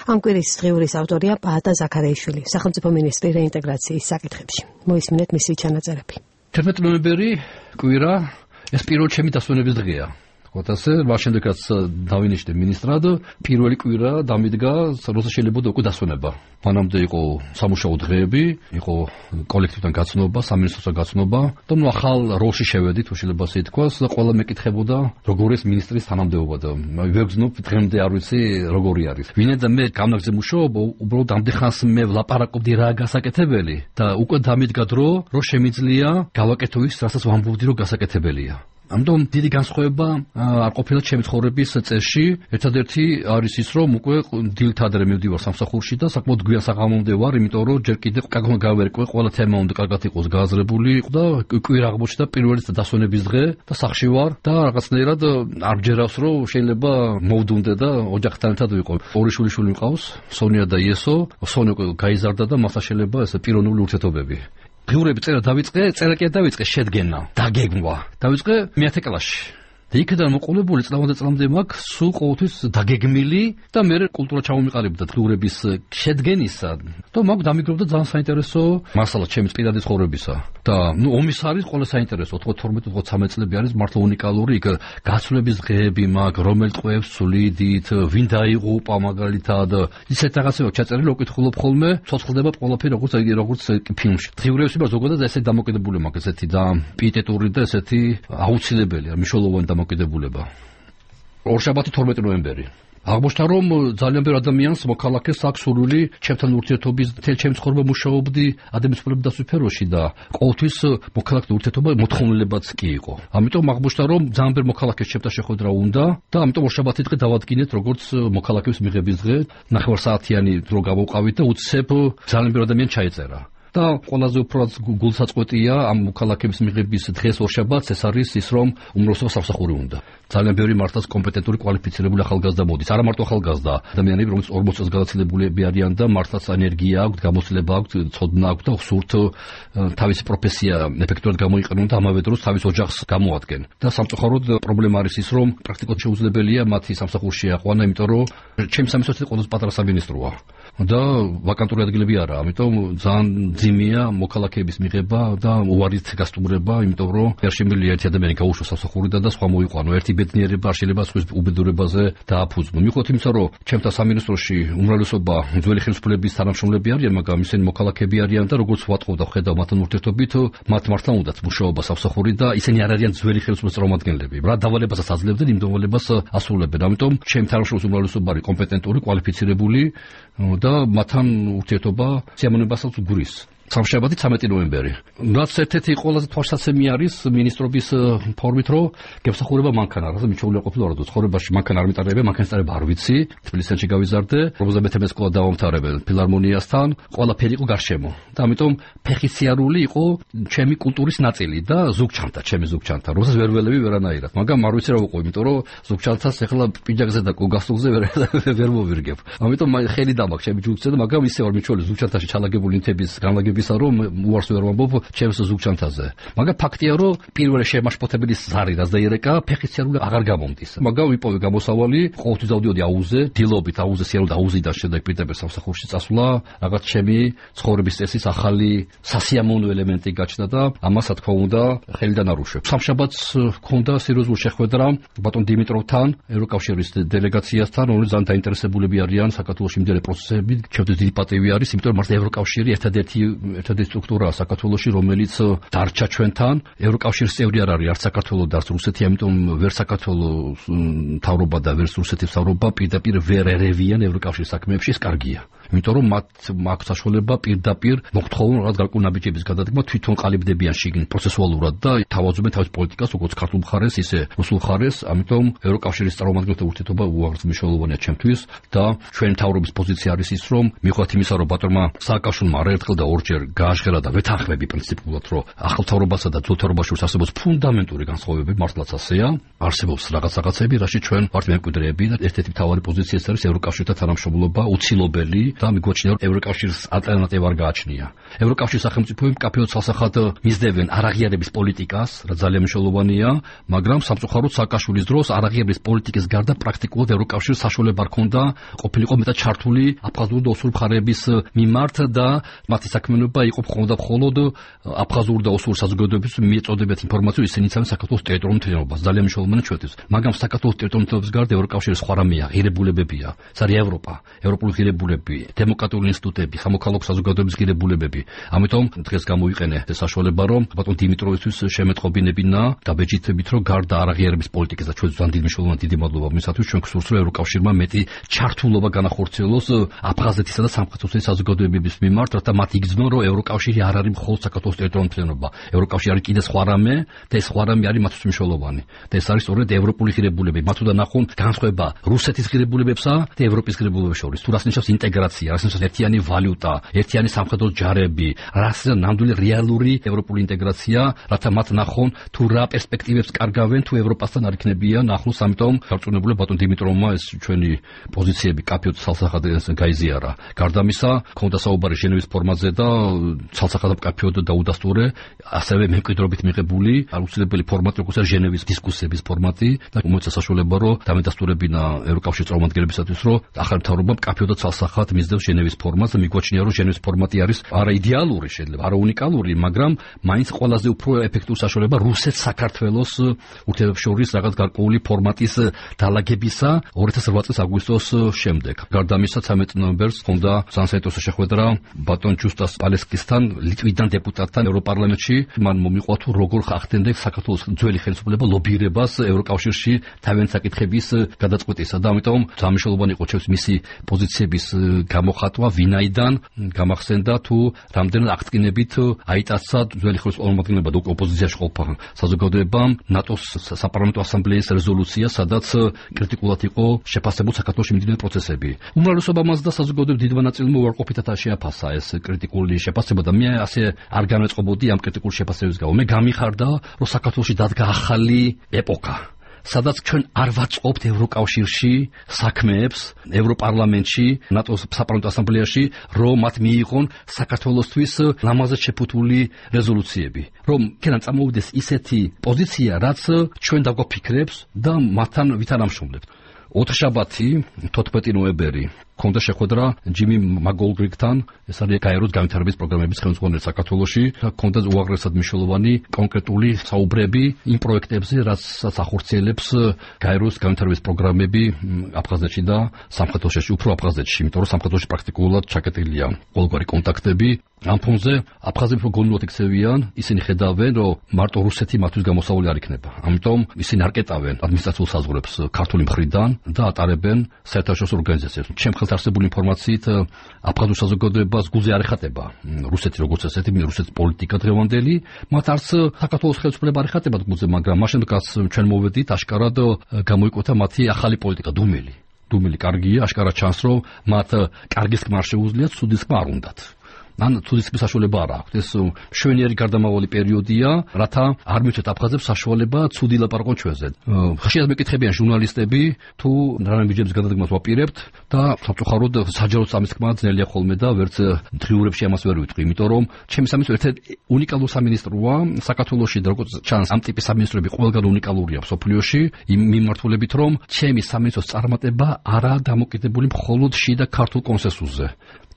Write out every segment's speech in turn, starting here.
ამ კვირის დღიურის ავტორია პაატა ზაქარიაშვილი, სახელმწიფო მინისტრი რეინტეგრაციის საკითხებში. მოისმინეთ მისი ჩანაწერები. 11 ნოემბერი კვირა ეს პირველი ჩემი დასვენების დღეა. Otase, ვაშენდეკაც დავინიშნე მინისტრად, პირველი კვირა დამიდგა, როცა შეიძლება უკვე დასვენება. მანამდე იყო სამუშაო დღეები, იყო კოლექტივთან გაცნობა, სამინისტროსთან გაცნობა, და ახალ როლში შევედით, შეიძლება ასე ითქვას, და ყველა მეკითხებოდა, როგორ ეს მინისტრის თანამდებობა და ვეგზნობ დღემდე არ ვიცი როგორი არის. ვინაიდან მე გამაგზე მუშაობ, უბრალოდ ამდენ ხანს მე ვლაპარაკობდი რა გასაკეთებელი და უკვე დამიდგა დრო, რომ შემიძლია გავაკეთო ის, რასაც ვამბობდი, რომ გასაკეთებელია. Ამიტომ დიდი განსხვავება არ ყოფილა ჩემი ცხოვრების წესში. ერთადერთი არის ის, რომ უკვე დილით ადრე მივდივარ სამსახურში და საკმაოდ გვიან საღამომდე ვარ, იმიტომ რომ ჯერ კიდევ კაგონ გავერკვე, ყველა თემა უნდა კარგად იყოს გააზრებული და კვირა აღმოჩნდა პირველი დასვენების დღე და სახში ვარ და რაღაცნაირად არ მჯერავს, რომ შეიძლება მოვდუნდე და ოჯახთან ერთად ვიყო. ორი შვილიშვილი მყავს, სონია და იესო. სონია გაიზარდა და მასთან შეიძლება ეს პიროვნული ურთიერთობები. ღიურები წერა დავიწყე, წერა კი დავიწყე შედგენა, დაგეგმვა. დავიწყე მე-10 კლასში. და იქიდან მოყოლებული წლამდე მაქვს სულ ყოველთვის დაგეგმილი და მე კულტურა ჩამომიყალიბდა ღიურების შედგენისა. და მაქვს დამიგროვდა ძალიან საინტერესო მასალა ჩემი პირადი ცხოვრებისა. და ომის არის ყველა საინტერესო 12-13 წლები არის მართლა უნიკალური, იქ გაცვლების დღეები მაქვს, რომელ ტყვეებს სულიდით, ვინ დაიღუპა მაგალითად, ისეთ რაღაცებია ჩაწერილი, უკითხულობ ხოლმე, ცოცხლდება ყველაფერი როგორც ფილმში. ღიურების ზოგადად ესეთი დამოკიდებული მაქვს, ესეთი და პიეტეტური და ესეთი აუცილებელია, მნიშვნელოვანი დამოკიდებულება. ორშაბათი 12 ნოემბერი. აღმოჩნდა რომ ძალიან ბევრ ადამიანს მოქალაქეს აქვს სურვილი ჩემთან ურთიერთობის მთელ ჩემს ცხოვრება მუშაობდი ადამიანის უფლებების სფეროში და ყოველთვის მოქალაქეთა ურთიერთობა მოთხოვნილებაც კი იყო. ამიტომ აღმოჩნდა რომ ძალიან ბევრ მოქალაქეს ჩემთან შეხვედრა უნდა და ამიტომ ორშაბათი დღე დავადგინეთ როგორც მოქალაქეების მიღების დღე. 9 საათიანი დრო გავუყავით და უცებ ძალიან ბევრ ადამიანს ჩაეწერა. და ყველაზე უფრო გულსაწყვეტია ამ მოქალაქეების მიღების დღეს ორშაბათს ეს არის ის რომ უმრავლესობა სამსახური უნდა. ძალიან ბევრი მართლაც კომპეტენტური კვალიფიცირებული ახალგაზრდა მოდის. არა მარტო ახალგაზრდა, ადამიანები რომელიც 40 წელს გადაცილებულები არიან და მართლაც ენერგია აქვთ, გამოცდილება აქვთ, ცოდნა აქვთ და სურთ თავისი პროფესია ეფექტურად გამოიყენონ და ამავე დროს თავის ოჯახს გამოადგენ. და სამწუხაროდ პრობლემა არის ის რომ პრაქტიკულად შეუძლებელია მათი სამსახურში აყვანა, იმიტომ რომ ჩემი სამინისტრო ყველაზე პატარა სამინისტროა. და ვაკანტური ადგილები არა, ამიტომ ძალიან ძიმია მოქალაქეების მიღება და უარით გასტუმრება, იმიტომ რომ არ შემიძლია ერთი ადამიანი გაუშვას სამსახურიდან და სხვა მოიყვანო. ერთი ბედნიერება არ შეიძლება სხვის უბედურებაზე დააფუძნო. მიუხედავად იმისა, რომ ჩემთან სამინისტროში უმრავლესობა ძველი ხელისუფლების თანამშრომლები არიან, მაგრამ ისინი მოქალაქეები არიან და როგორც ვატყობ და ხედავ მათთან ურთიერთობით, მათ მართლა უნდათ მუშაობა სამსახური და ისინი არ არიან ძველი ხელისუფლების წარმომადგენლები. რა დავალებასაც აძლევდნენ, იმ დავალებას ასრულებენ. ამიტომ ჩემი თანამშრომლების უმრავლესობა არის კომპეტენტური, კვალიფიცირებული და მათთან ურთიერთობა სიამოვნებასაც გვრის. სამშაბათი 13 ნოემბერი. რაც ერთ-ერთი ყველაზე თვალსაცემი არის მინისტრობის ფორმით, რომ გემსახურება მანქანა, რა მიჩვეულია ყოფილა რომ ცხოვრებაში მანქანა არ მიტარებია, მანქანის ტარება არ ვიცი. თბილისში გავიზარდე, პრობლემა მე სკოლა დავამთავრებელ ფილარმონიასთან, ყველაფერი იყო გარშემო. და ამიტომ ფეხისიარული იყო ჩემი კულტურის ნაწილი და ზუგჩანთა, ჩემი ზუგჩანთა, რომელსაც ვერ ველევი ვერანაირად. მაგრამ არ ვიცი რა ვიყო, იმიტომ რომ ზუგჩანთას ახლა პიჯაკზე და გასტულზე ვერ მოვირგებ. ამიტომ ხელი დამაქვს ჩემი ჯგუფზე და მაგრამ ისე ვარ მიჩვეული ზუგჩანთაში ჩალაგებული ნივთების განლაგების რომ უარს ვერ ვამბობ ჩემს ზუგჩანთაზე. მაგრამ ფაქტია რომ პირველი შემაშფოთებელი ზარი რაც დაირეკა ფეხისიარული აღარ გამომდის. მაგრამ ვიპოვე გამოსავალი, ყოველთვის დავდიოდი აუზე, დილობით აუზე სიარული აუზიდან შემდეგ პირდაპირ სამსახურში წასვლა, რაღაც ჩემი ცხოვრების წესის ახალი სასიამოვნო ელემენტი გაჩნდა და ამას რა თქმა უნდა ხელიდან არ უშვებ. სამშაბათს ჰქონდა სერიოზული შეხვედრა ბატონ დიმიტროვთან, ევროკავშირის დელეგაციასთან, რომელიც ძალიან დაინტერესებულები არიან საქართველოში მიმდინარე პროცესებით. ჩემთვის დიდი პატივი არის, იმიტომ რომ მართლა ევროკავშირი ერთადერთი სტრუქტურაა საქართველოში, რომელიც დარჩა ჩვენთან. ევროკავშირის წევრი არ არის არც საქართველო და არც რუსეთი, ამიტომ ვერ საქართველოს მთავრობა და ვერ რუსეთის მთავრობა პირდაპირ ვერ ერევიან ევროკავშირის საქმეებში, ეს კარგია. იმიტომ რომ მათ აქვს საშუალება პირდაპირ მოხთხოვნ რაღაც გარკვეული ნაბიჯების გადადგმა, თვითონ ყალიბდებიან შიგნით პროცესუალურად და თავაზობენ თავის პოლიტიკას, როგორც ქართულ მხარეს, ისე რუსულ მხარეს. ამიტომ ევროკავშირის წარმომადგენელთა ურთიერთობა უაღრესად მნიშვნელოვანია ჩემთვის და ჩვენი მთავრობის პოზიცია არის ის, რომ მიუხედავად იმისა, რომ ბატონმა სააკაშვილმა არაერთხელ და ორჯერ გააშხერა და ვეთანხმები პრინციპულად, რომ ახალ მთავრობასა და ძველ მთავრობაში არსებობს ფუნდამენტური განსხვავებები, მართლაც ასეა. არსებობს რაღაცები, რაში ჩვენ ვართ მემკვიდრეები და ერთ-ერთი მთავარი პოზიცია არის ევროკავშირთან თანამშრომლობა, უცილობელი და მიგვაჩნია, რომ ევროკავშირის ალტერნატივა არ გააჩნია. ევროკავშირის სახელმწიფოები კაფეოდ ცალსახად მისდევენ არაღიარების პოლიტიკას, რაც ძალიან მნიშვნელოვანია, მაგრამ სამწუხაროდ სააკაშვილის დროს არაღიარების პოლიტიკის გარდა პრაქტიკულად ევროკავშირს საშუალება არ ჰქონდა ყოფილიყო მეტად ჩართული აფხაზური და ოსური მხარეების მიმართ და მათი საქმიანობა იყო მხოლოდ აფხაზური და ოსური საზოგადოების მიეწოდებათ ინფორმაცію ისინი იცავენ საქართველოს ტერიტორიულ მთლიანობას. ძალიან მნიშვნელოვანია ჩვენთვის. მაგრამ საქართველოს ტერიტორიულ მთლიანობის გარდა ევროკავშირის სხვა რამეა, ღირებულებებია. ეს არის ევროპა, ევროპული ღირებულები, დემოკრატიული ინსტიტუტები, სამოქალაქო საზოგადოების ღირებულებები. ამიტომ დღეს გამოვიყენე ეს საშუალება, რომ ბატონ დიმიტროვისთვის შემეტყობინებინა და ბეჭდებით, რომ გარდა არაღიარების პოლიტიკის და ჩვენთვის ძალიან მნიშვნელოვანი დიდი მადლობა მისათვის ჩვენ გსურს, რომ ევროკავშირმა მეტი ჩართულობა განახორციელოს აფხაზეთისა და სამხრეთ-ოსეთის საზოგადოებების მიმართ, რათა მათ იგრძნონ, რომ ევროკავშირი არ არის მხოლოდ საქართველოს ტერიტორიული მთლიანობა. ევროკავშირი არის კიდე სხვა რამე და ეს სხვა რამე არის მათთვის მნიშვნელოვანი. და ეს არის სწორედ ევროპული ღირებულებები. მათ უნდა ნახონ განსხვავება რუსეთის ღირებულებებსა და ევროპის ღირებულებებს შორის. თუ რას ნიშნავს ინტეგრაცია, რას ნიშნავს ერთიანი ვალუტა, ერთიანი სამხედრო ჯარები, რას ნამდვილი რეალური ევროპული ინტეგრაცია, რათა მათ ნახონ თუ რა პერსპექტივებს კარგავენ თუ ევროპასთან არ იქნებიან ახლოს. ამიტომ გარწმუნებული ბატონ დიმიტროვმა ეს ჩვენი პოზიციები კაფეოდ ცალსახად გაიზიარა. გარდა ამისა, ქონდა საუბარი ჟენევის ფორმაზე და ცალსახად კაფეოდ დაუდასტურე, ასევე მემკვიდრეობით მიღებული აუცილებელი ფორმატი, როგორც არის ჟენევის დისკუსიების ფორმატი და მოეცა საშუალება, რომ დამედასტურებინა ევროკავშირის წარმომადგენლებისათვის, რომ ახალ მთავრობამ კაფეოდ ცალსახად მისდევს ჟენევის ფორმატს და მიგვაჩნია, რომ ჟენევის ფორმატი არის არა იდეალური, შეიძლება არა უნიკალური, მაგრამ მაინც ყველაზე უფრო ეფექტური საშუალება რუსეთ-საქართველოს ურთიერთობებს შორის რაღაც გარკვეული ფორმატის დალაგებისა 2008 წლის აგვისტოს შემდეგ. გარდა ამისა 13 ნოემბერს ჰქონდა საინტერესო შეხვედრა ბატონ ჯუსტას პალესკისთან, ლიტვიდან დეპუტატთან ევროპარლამენტში. მან მომიყვა თუ როგორ ხახდენდა საქართველოს ძველი ხელისუფლება ლობირებას ევროკავშირში თავიანთი საკითხების გადაწყვეტისა და ამიტომ სამშობლოვანი იყო ჩემს მისი პოზიციების გამოხატვა, ვინაიდან გამახსენდა თუ რამდენად აღდგენებით აიტაცა ძველი ხელისუფლება და ოპოზიციაში ყოფა საზოგადოებამ ნატოს საპარლამენტო ასამბლეის რეზოლუცია, სადაც კრიტიკულად იყო შეფასებული საქართველოში მიმდინარე პროცესები. უმრავლესობა მას და საზოგადოების დიდმა ნაწილმა უარყოფითად შეაფასა ეს კრიტიკული შეფასება და მე ასე არ განვეწყობოდი ამ კრიტიკული შეფასების გამო. მე გამიხარდა, რომ საქართველოში დადგა ახალი ეპოქა, სადაც ჩვენ არ ვაწყობთ ევროკავშირში საქმეებს, ევროპარლამენტში, ნატოს საპარლამენტო ასამბლეაში, რომ მათ მიიღონ საქართველოსთვის ლამაზად შეფუთული რეზოლუციები. რომ იქიდან წამოვიდეს ისეთი პოზიცია, რაც ჩვენ დაგვაფიქრებს და მათთან ვითანამშრომლებთ. ოთხშაბათი 14 ნოემბერი ქონდა შეხვედრა ჯიმი მაგოლგრიგთან, ეს არის გაეროს განვითარების პროგრამების ხელმძღვანელი საქართველოში და ქონდა უაღრესად მნიშვნელოვანი კონკრეტული საუბრები იმ პროექტებზე, რასაც ახორციელებს გაეროს განვითარების პროგრამები აფხაზეთში და სამხრეთ-ოსეთში, უფრო აფხაზეთში, იმიტომ რომ სამხრეთ-ოსეთში პრაქტიკულად ჩაკეტილია ყოველგვარი კონტაქტები. ამ ფონზე აფხაზები გონულად იქცევიან, ისინი ხედავენ, რომ მარტო რუსეთი მათთვის გამოსავალი არ იქნება. ამიტომ ისინი არ კეტავენ ადმინისტრაციულ საზღვრებს ქართული მხრიდან და ატარებენ საერთაშორისო ორგანიზაციებს. ჩემ ხელთ არსებული ინფორმაციით აფხაზურ საზოგადოებას გულზე არ ეხატება რუსეთი როგორც ესეთი, რუსეთის პოლიტიკა დღევანდელი, მათ არც საქართველოს ხელისუფლება არ ეხატება გულზე, მაგრამ მაშინ რაც ჩვენ მოვედით, აშკარად გამოიკვეთა მათი ახალი პოლიტიკა, დუმილი კარგია, აშკარად ჩანს, რომ მათ კარგის ხმა არ შეუძლიათ, ცუდის ხმა არ უნდათ. ან ცუდის საშუალება არ აქვს. ეს მშვენიერი გარდამავალი პერიოდია, რათა არ მივცეთ აფხაზებს საშუალება ცუდი ლაპარაკონ ჩვენზე. ხშირად მეკითხებიან ჟურნალისტები, თუ რამე ბიჯების გადადგმას ვაპირებთ და სამწუხაროდ საჯარო სამისქმა ძნელია ხოლმე და ვერც დღიურებში ამას ვერ ვიტყვი, იმიტომ რომ ჩემი სამინისტრო ერთ-ერთი უნიკალური სამინისტროა საქართველოში და როგორც ჩანს ამ ტიპის სამინისტროები ყველგან უნიკალურია მსოფლიოში, იმ მიმართულებით რომ ჩემი სამინისტროს წარმატება არაა დამოკიდებული მხოლოდ შიდა ქართულ კონსენსუსზე.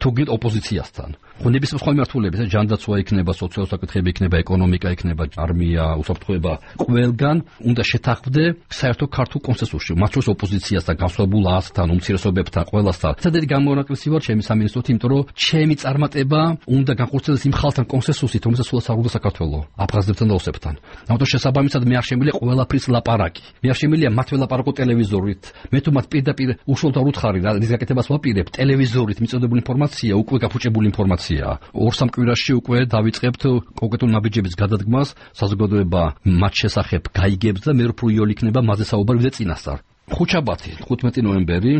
თუგით ოპოზიციასთან. ხონების სხვა მიმართულებით, ჯანდაცვა იქნება, სოციალური საკითხები იქნება, ეკონომიკა იქნება, არმია, უსაფრთხოება, ყველგან უნდა შეთანხმდე საერთო ქართულ კონსენსუსში. მათ შორის ოპოზიციასთან, განსხვავებულ აზრთან, უმცირესობებთან, ყველასთან. სადაც გამონაკლისი ვარ ჩემი სამინისტროთი, იმიტომ რომ ჩემი წარმატება უნდა განხორციელდეს იმ ხალხთან კონსენსუსით, რომელსაც სულაც აღუდგა საქართველო, აფხაზებთან და ოსებთან. ამიტომ შესაბამისად მე არ შემიძლია ყველაფრის ლაპარაკი. მე არ შემიძლია მათ ველაპარაკო ტელევიზორით. მე თუ მათ პირდაპირ უშუალოდ არ უთხარი რა რის გაკეთებას ვაპირებ, ტელევიზორით მიწოდებული ინფორმაცია უკვე გაფუჭებული ინფორმაცია. 2-3 კვირაში უკვე დავიწყებთ კონკრეტულ ნაბიჯების გადადგმას, საზოგადოება მათ შესახებ გაიგებს და მე უფრო იოლი იქნება მასზე საუბარი ვიდრე წინასწარ. ხუთშაბათი 15 ნოემბერი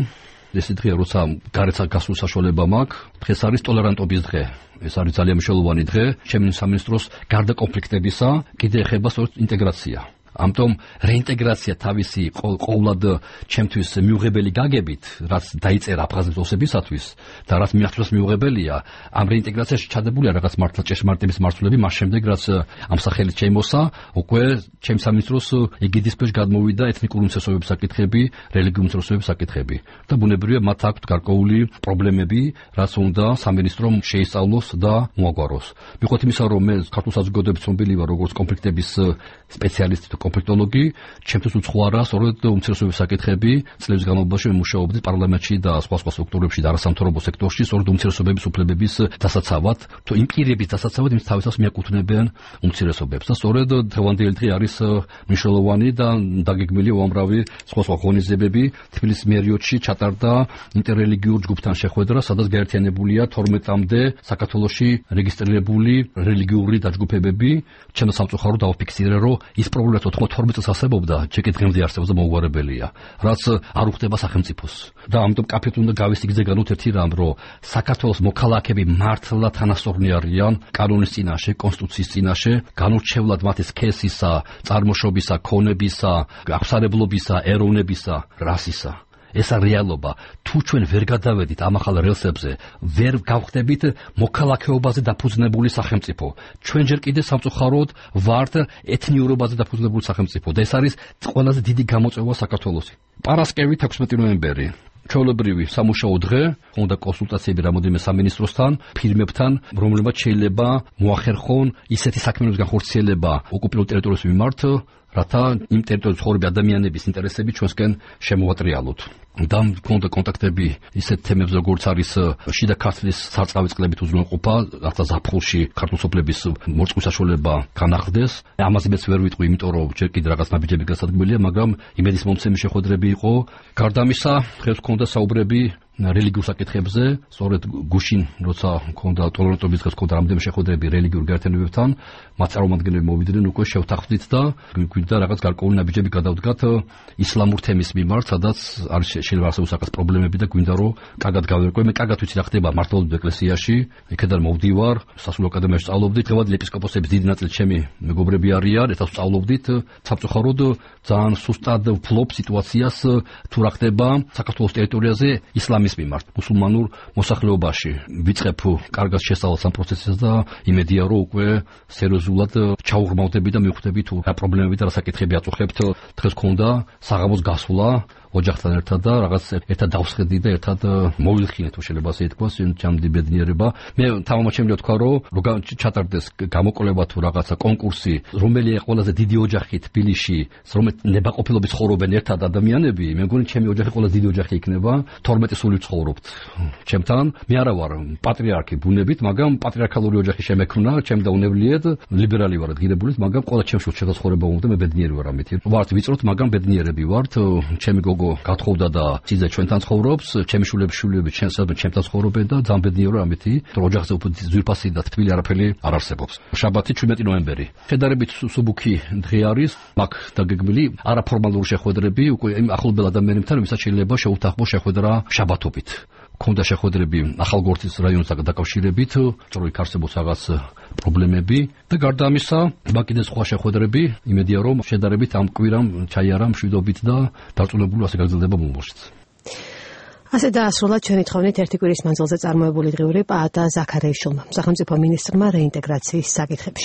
ეს დღეა, როცა გარეცა გასულ საშუალება მაქვს. დღეს არის ტოლერანტობის დღე. ეს არის ძალიან მნიშვნელოვანი დღე ჩემი სამინისტროს გარდა კონფლიქტებისა, კიდე ეხება სწორედ ინტეგრაცია. ამიტომ რეინტეგრაცია თავისი ყოვლად ჩემთვის მიუღებელი გაგებით, რაც დაიწერა აფხაზეთის ოსებისათვის და რაც მიახლოს მიუღებელია, ამ რეინტეგრაციაში ჩადებულია რაღაც მართლა ჭეშმარიტების მარცვლები, მას შემდეგ რაც ამ სახელით შემოსა, უკვე ჩემს სამინისტროს ეგიდის ქვეშ გადმოვიდა ეთნიკური უმცირესობების საკითხები, რელიგიური უმცირესობების საკითხები და ბუნებრივია მათ აქვთ გარკვეული პრობლემები, რაც უნდა სამინისტრომ შეისწავლოს და მოაგვაროს. მიუხედავად იმისა, რომ მე ქართულ საზოგადოების ცნობილი ვარ როგორც კონფლიქტების სპეციალისტი თუ კონფლიქტოლოგი, ჩემთვის უცხოარა სწორედ უმცირესობების საკითხები. წლების განმავლობაში მუშაობდი პარლამენტში და სხვა სტრუქტურებში და არასამთავრობო სექტორში, სწორედ უმცირესობების უფლებების დასაცავად, თუ იმ პირების დასაცავად, ვინც თავისას მიაკუთვნებიან უმცირესობებს. და სწორედ დღევანდელი დღე არის მნიშვნელოვანი და დაგეგმილი უამრავი სხვა ღონისძიებები. თბილისის მერიოდში ჩატარდა ინტერრელიგიურ ჯგუფთან შეხვედრა, სადაც გაერთიანებულია 12-მდე საქართველოში რეგისტრირებული რელიგიური დაჯგუფებები. ჩემო სამწუხარო დავაფიქსირე, რომ ის პრობლემა 12 წელს არსებობდა, ჯერ დღემდე არსებობს და მოუგვარებელია, რაც არ უხდება სახელმწიფოს. და ამიტომ კაფეთ უნდა გავისიგზეგანოთ ერთი რამ, რომ საქართველოს მოქალაქეები მართლა თანასწორნი არიან კანონის წინაშე, კონსტიტუციის წინაშე, განურჩევლად მათი სქესისა, წარმოშობისა, ქონებისა, აღსარებლობისა, ეროვნებისა, რასისა. ესა რეალობა. თუ ჩვენ ვერ გადავედით ამ ახალ რელსებზე, ვერ გავხდებით მოქალაქეობაზე დაფუძნებული სახელმწიფო. ჩვენ ჯერ კიდე სამწუხაროდ ვართ ეთნიურობაზე დაფუძნებული სახელმწიფო და ეს არის ყველაზე დიდი გამოწვევა საქართველოსი. პარასკევი 16 ნოემბერი. ჩვეულებრივი სამუშაო დღე, უნდა კონსულტაციები რამოდენიმე სამინისტროსთან, ფირმებთან, რომლებმაც შეიძლება მოახერხონ ისეთი საქმიანობის განხორციელება ოკუპირებულ ტერიტორიების მიმართ, რათა იმ ტერიტორიაზე ცხოვრობი ადამიანების ინტერესები ჩვენსკენ შემოვატრიალოთ. და მქონდა კონტაქტები ისეთ თემებზე, როგორც არის შიდა ქართლის სარწყავი წყლებით უზრუნველყოფა, რათა ზაფხულში ქართულ სოფლების მოწყვის საშუალება განახლდეს. ამაზე მეც ვერ ვიტყვი, იმიტომ რომ ჯერ კიდე რაღაც ნაბიჯები გასადგმელია, მაგრამ იმედის მომცემი შეხვედრები იყო. გარდა ამისა, დღეს მქონდა საუბრები რელიგიურ საკითხებზე, სწორედ გუშინ, როცა მქონდა ტოლერანტობის დღეს მქონდა რამდენიმე შეხვედრები რელიგიურ გაერთიანებებთან, მათ წარმომადგენლები მოვიდნენ, უკვე შევთანხმდით და გვინდა რაღაც გარკვეული ნაბიჯები გადავდგათ ისლამურ თემის მიმართ, სადაც არის შეიძლება არსებობს რაღაც პრობლემები და გვინდა რომ კარგად გავერკვე. მე კარგად ვიცი რა ხდება მართლმადიდებლურ ეკლესიაში, იქედან მოვდივარ, სასულიერო აკადემიაში სწავლობდით, დღევანდელი ეპისკოპოსების დიდი ნაწილი ჩემი მეგობრები არიან, ერთად სწავლობდით. სამწუხაროდ ძალიან სუსტად ვფლობ სიტუაციას თუ რა ხდება საქართველოს ტერიტორიაზე ისლამის მიმართ, მუსულმანურ მოსახლეობაში. ვიწყებ კარგად შესწავლას ამ პროცესს და იმედია რომ უკვე სერიოზულად ჩაუღრმავდები და მივხვდები თუ რა პრობლემები და რა საკითხები აწუხებთ. დღეს მქონდა საღამოს გასვლა ოჯახთან ერთად და რაღაც ერთად დავსხედი და ერთად მოვილხინე თუ შეიძლება ასე ითქვას, ჩემი ბედნიერება. მე თამამაჩემია თქვა რომ ჩატარდეს გამოკვლევა თუ რაღაცა კონკურსი, რომელია ყველაზე დიდი ოჯახი თბილისში, რომელიც ნებაყოფილობის ცხოვრობენ ერთად ადამიანები, მე მგონი ჩემი ოჯახი ყველაზე დიდი ოჯახი იქნება, 12 სული ვცხოვრობთ ჩემთან. მე არა ვარ პატრიარქი ბუნებით, მაგრამ პატრიარქალური ოჯახი შემექმნა, ჩემ და უნებლიეთ, ლიბერალი ვარ ღირებულით, მაგრამ ყველა ჩემში შეცხოვრება უნდა, მე ბედნიერი ვარ ამით. ვართ ვიწროთ, მაგრამ ბედნიერები ვართ. ჩემი გოგო გათხოვდა და სიძე ჩვენთან ცხოვრობს, ჩემი შვილები ჩემთან ცხოვრობენ და ძალიან ბედნიერი ვარ ამით, რომ ოჯახზე უფრო ძვირფასი და თბილი არაფერი არ არსებობს. შაბათი 17 ნოემბერი. შედარებით სუბუქი დღე არის, მაგ დაგეგმილი არაფორმალური შეხვედრები უკვე იმ ახლობელ ადამიანებთან, ვისაც შეიძლება შეუთანხმო შეხვედრა შაბათობით. მქონდა შეხვედრები ახალგორთის რაიონთან დაკავშირებით, რომ იქ არსებობს რაღაც პრობლემები და გარდა ამისა, კიდე სხვა შეხვედრები, იმედია რომ შედარებით ამ კვირამ ჩაიარა მშვიდობით და დარწმუნებული ასე გაგრძელდება მომავალშიც. ასე დაასრულა ჩვენი თხოვნით ერთი კვირის მანძილზე წარმოებული დღიური პაატა ზაქარიაშვილმა, სახელმწიფო მინისტრმა რეინტეგრაციის საკითხებში.